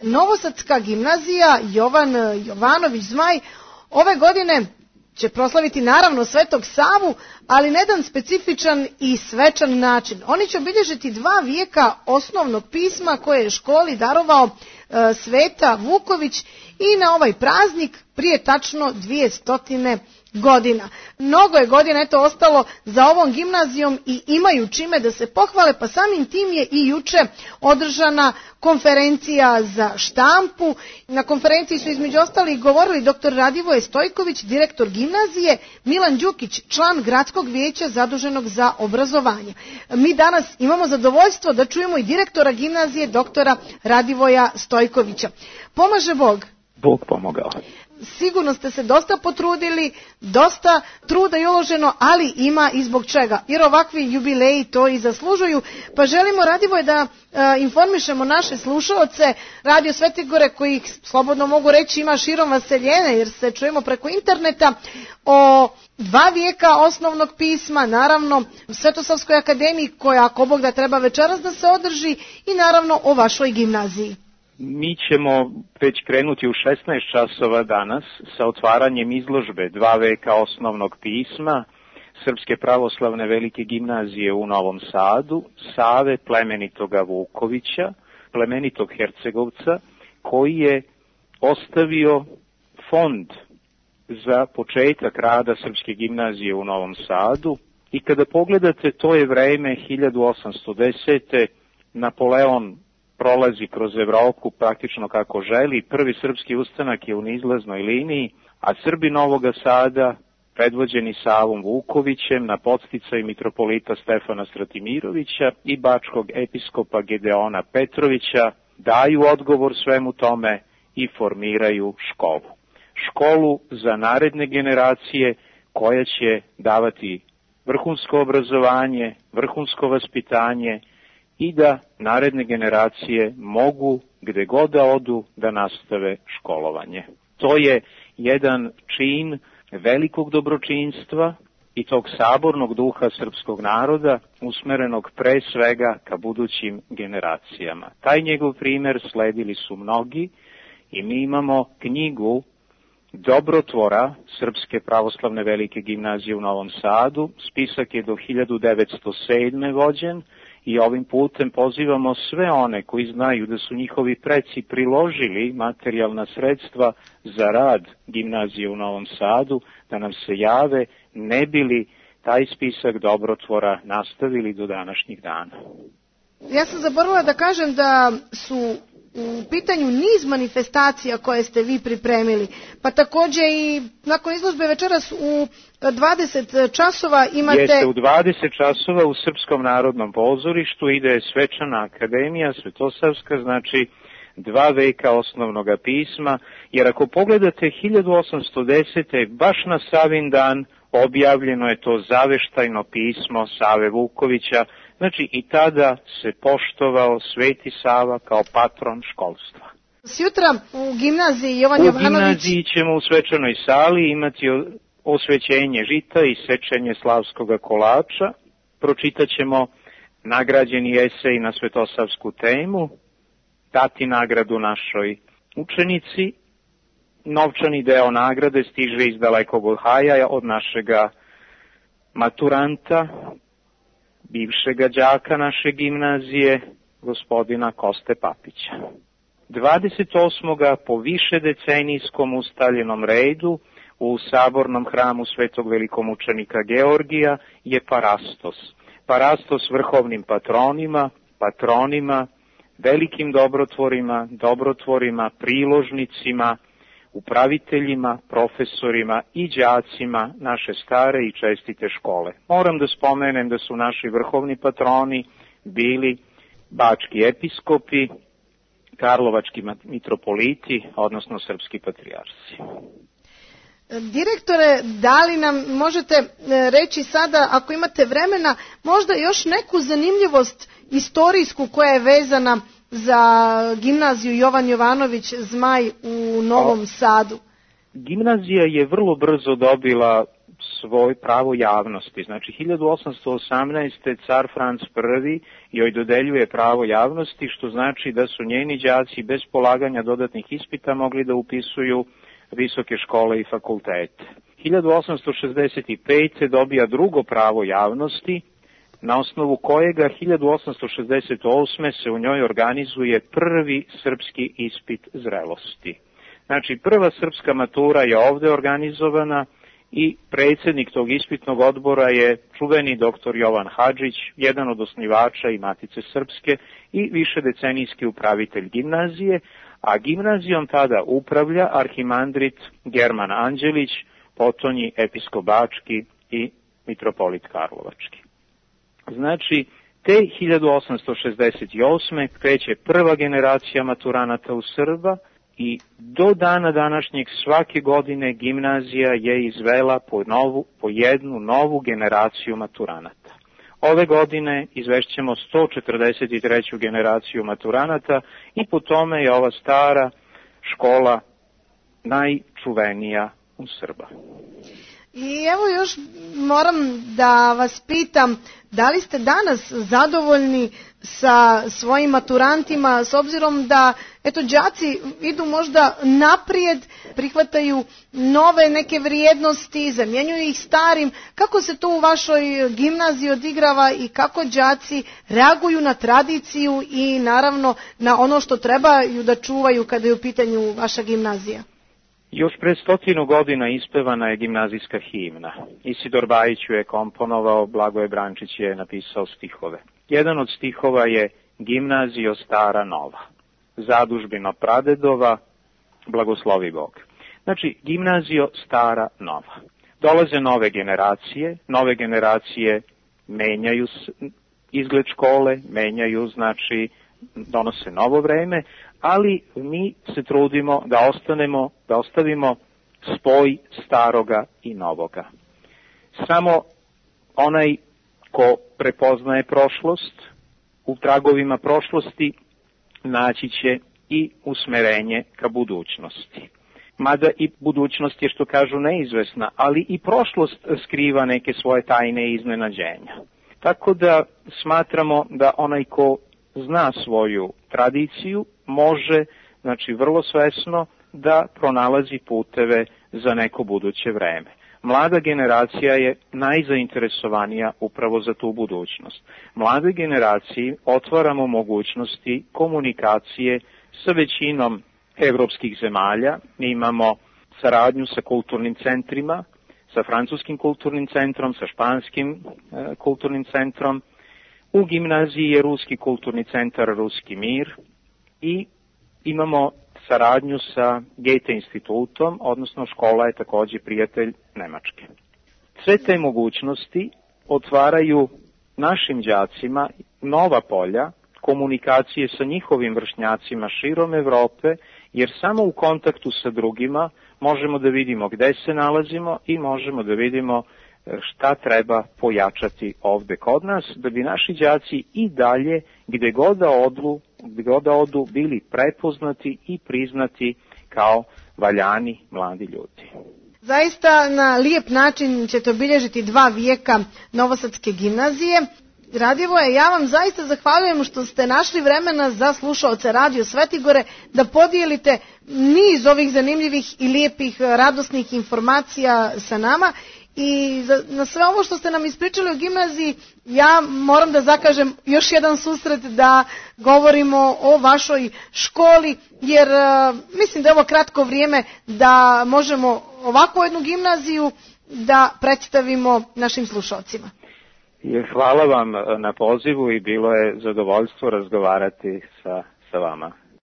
Novosadska gimnazija Jovan Jovanović Zmaj ove godine će proslaviti naravno Svetog Savu, ali na jedan specifičan i svečan način. Oni će obilježiti 2 vijeka osnovnog pisma koje je školi darovao Sveta Vuković i na ovaj praznik prije tačno 200 godina. Mnogo je godina ostalo za ovom gimnazijom i imaju čime da se pohvale, pa samim tim je i juče održana konferencija za štampu. Na konferenciji su između ostalih govorili dr. Radivoje Stojković, direktor gimnazije, Milan Đukić, član gradskog vijeća zaduženog za obrazovanje. Mi danas imamo zadovoljstvo da čujemo i direktora gimnazije, doktora Radivoja Stojkovića. Pomaže Bog. Bog pomogao. Sigurno ste se dosta potrudili, dosta truda je uloženo, ali ima i zbog čega. Jer ovakvi jubileji to i zaslužuju. Pa želimo, Radivoje, da informišemo naše slušaoce Radio Svete Gore, kojih slobodno mogu reći ima širom vaseljene, jer se čujemo preko interneta, o 2 vijeka osnovnog pisma, naravno Svetosavskoj akademiji, koja ako Bog da treba večeras da se održi, i naravno o vašoj gimnaziji. Mi ćemo već krenuti u 16 časova danas sa otvaranjem izložbe 2 veka osnovnog pisma Srpske pravoslavne velike gimnazije u Novom Sadu, Save plemenitoga Vukovića, plemenitog Hercegovca, koji je ostavio fond za početak rada Srpske gimnazije u Novom Sadu. I kada pogledate, to je vreme 1810. Napoleon prolazi kroz Evropu praktično kako želi. Prvi srpski ustanak je u neizlaznoj liniji, a Srbi Novoga Sada, predvođeni Savom Vukovićem, na podsticaj mitropolita Stefana Stratimirovića i bačkog episkopa Gedeona Petrovića, daju odgovor svemu tome i formiraju školu. Školu za naredne generacije koja će davati vrhunsko obrazovanje, vrhunsko vaspitanje i da naredne generacije mogu gde god da odu da nastave školovanje. To je jedan čin velikog dobročinstva i tog sabornog duha srpskog naroda usmerenog pre svega ka budućim generacijama. Taj njegov primer sledili su mnogi i mi imamo knjigu Dobrotvora Srpske pravoslavne velike gimnazije u Novom Sadu. Spisak je do 1907. vođen i ovim putem pozivamo sve one koji znaju da su njihovi preci priložili materijalna sredstva za rad gimnazije u Novom Sadu, da nam se jave, ne bili taj spisak dobrotvora nastavili do današnjih dana. Ja sam zaboravila da kažem da su u pitanju niz manifestacija koje ste vi pripremili, pa također i nakon izložbe večeras u 20 časova imate... Jeste, u 20 časova u Srpskom narodnom pozorištu ide Svečana akademija, Svetosavska, znači 2 veka osnovnog pisma, jer ako pogledate 1810. baš na Savin dan objavljeno je to zaveštajno pismo Save Vukovića. Znači i tada se poštovao Sveti Sava kao patron školstva. Sjutra u gimnaziji Jovan Jovanović... U gimnaziji ćemo u svečanoj sali imati osvećenje žita i sečenje slavskoga kolača. Pročitat ćemo nagrađeni esej na svetosavsku temu, dati nagradu našoj učenici. Novčani deo nagrade stiže iz dalekog Ohaja od našega maturanta, bivšega đaka naše gimnazije, gospodina Koste Papića. 28. po više decenijskom ustaljenom redu u sabornom hramu svetog velikomučenika Georgija je Parastos. Parastos vrhovnim patronima, velikim dobrotvorima, priložnicima, upraviteljima, profesorima i đacima naše stare i čestite škole. Moram da spomenem da su naši vrhovni patroni bili bački episkopi, karlovački mitropoliti, odnosno srpski patrijarsi. Direktore, da li nam možete reći sada, ako imate vremena, možda još neku zanimljivost istorijsku koja je vezana za gimnaziju Jovan Jovanović Zmaj u Novom Sadu? Gimnazija je vrlo brzo dobila svoj pravo javnosti. Znači 1818. car Franc I joj dodeljuje pravo javnosti, što znači da su njeni đaci bez polaganja dodatnih ispita mogli da upisuju visoke škole i fakultete. 1865. dobija drugo pravo javnosti, na osnovu kojega 1868. se u njoj organizuje prvi srpski ispit zrelosti. Znači, prva srpska matura je ovde organizovana i predsjednik tog ispitnog odbora je čuveni doktor Jovan Hadžić, jedan od osnivača i Matice Srpske i višedecenijski upravitelj gimnazije, a gimnazijom tada upravlja arhimandrit German Anđelić, potonji episkop Bački i mitropolit Karlovački. Znači, te 1868. kreće prva generacija maturanata u Srba i do dana današnjeg svake godine gimnazija je izvela po jednu novu generaciju maturanata. Ove godine izvešćemo 143. generaciju maturanata i po tome je ova stara škola najčuvenija u Srba. I evo još moram da vas pitam, da li ste danas zadovoljni sa svojim maturantima, s obzirom da đaci idu možda naprijed, prihvataju nove neke vrijednosti, zamjenjuju ih starim. Kako se to u vašoj gimnaziji odigrava i kako đaci reaguju na tradiciju i naravno na ono što trebaju da čuvaju kada je u pitanju vaša gimnazija? Još pred 100 godina ispevana je gimnazijska himna. Isidor Bajić ju je komponovao, Blagoje Brančić je napisao stihove. Jedan od stihova je Gimnazijo stara nova, zadužbino pradedova, blagoslovi Bog. Znači, gimnazijo stara nova. Dolaze nove generacije menjaju izgled škole, menjaju, znači, donose novo vreme, ali mi se trudimo da ostavimo spoj staroga i novoga. Samo onaj ko prepoznaje prošlost, u tragovima prošlosti naći će i usmerenje ka budućnosti. Mada i budućnost je, što kažu, neizvesna, ali i prošlost skriva neke svoje tajne i iznenađenja. Tako da smatramo da onaj ko zna svoju tradiciju može, znači vrlo svesno, da pronalazi puteve za neko buduće vreme. Mlada generacija je najzainteresovanija upravo za tu budućnost. Mladoj generaciji otvaramo mogućnosti komunikacije sa većinom evropskih zemalja. Mi imamo saradnju sa kulturnim centrima, sa francuskim kulturnim centrom, sa španskim kulturnim centrom. U gimnaziji je Ruski kulturni centar Ruski mir i imamo saradnju sa Goethe institutom, odnosno škola je takođe prijatelj Nemačke. Sve te mogućnosti otvaraju našim đacima nova polja komunikacije sa njihovim vršnjacima širom Evrope, jer samo u kontaktu sa drugima možemo da vidimo gde se nalazimo i možemo da vidimo šta treba pojačati ovde kod nas, da bi naši đaci i dalje, gde god da odu, bili prepoznati i priznati kao valjani mladi ljudi. Zaista na lijep način ćete obilježiti 2 vijeka Novosadske gimnazije. Radivoje, ja vam zaista zahvaljujem što ste našli vremena za slušaoce Radio Svetigore da podijelite niz ovih zanimljivih i lijepih radosnih informacija sa nama. I na sve ovo što ste nam ispričali o gimnaziji, ja moram da zakažem još jedan susret da govorimo o vašoj školi, jer mislim da je ovo kratko vrijeme da možemo ovakvu jednu gimnaziju da predstavimo našim slušalcima. Hvala vam na pozivu i bilo je zadovoljstvo razgovarati sa vama.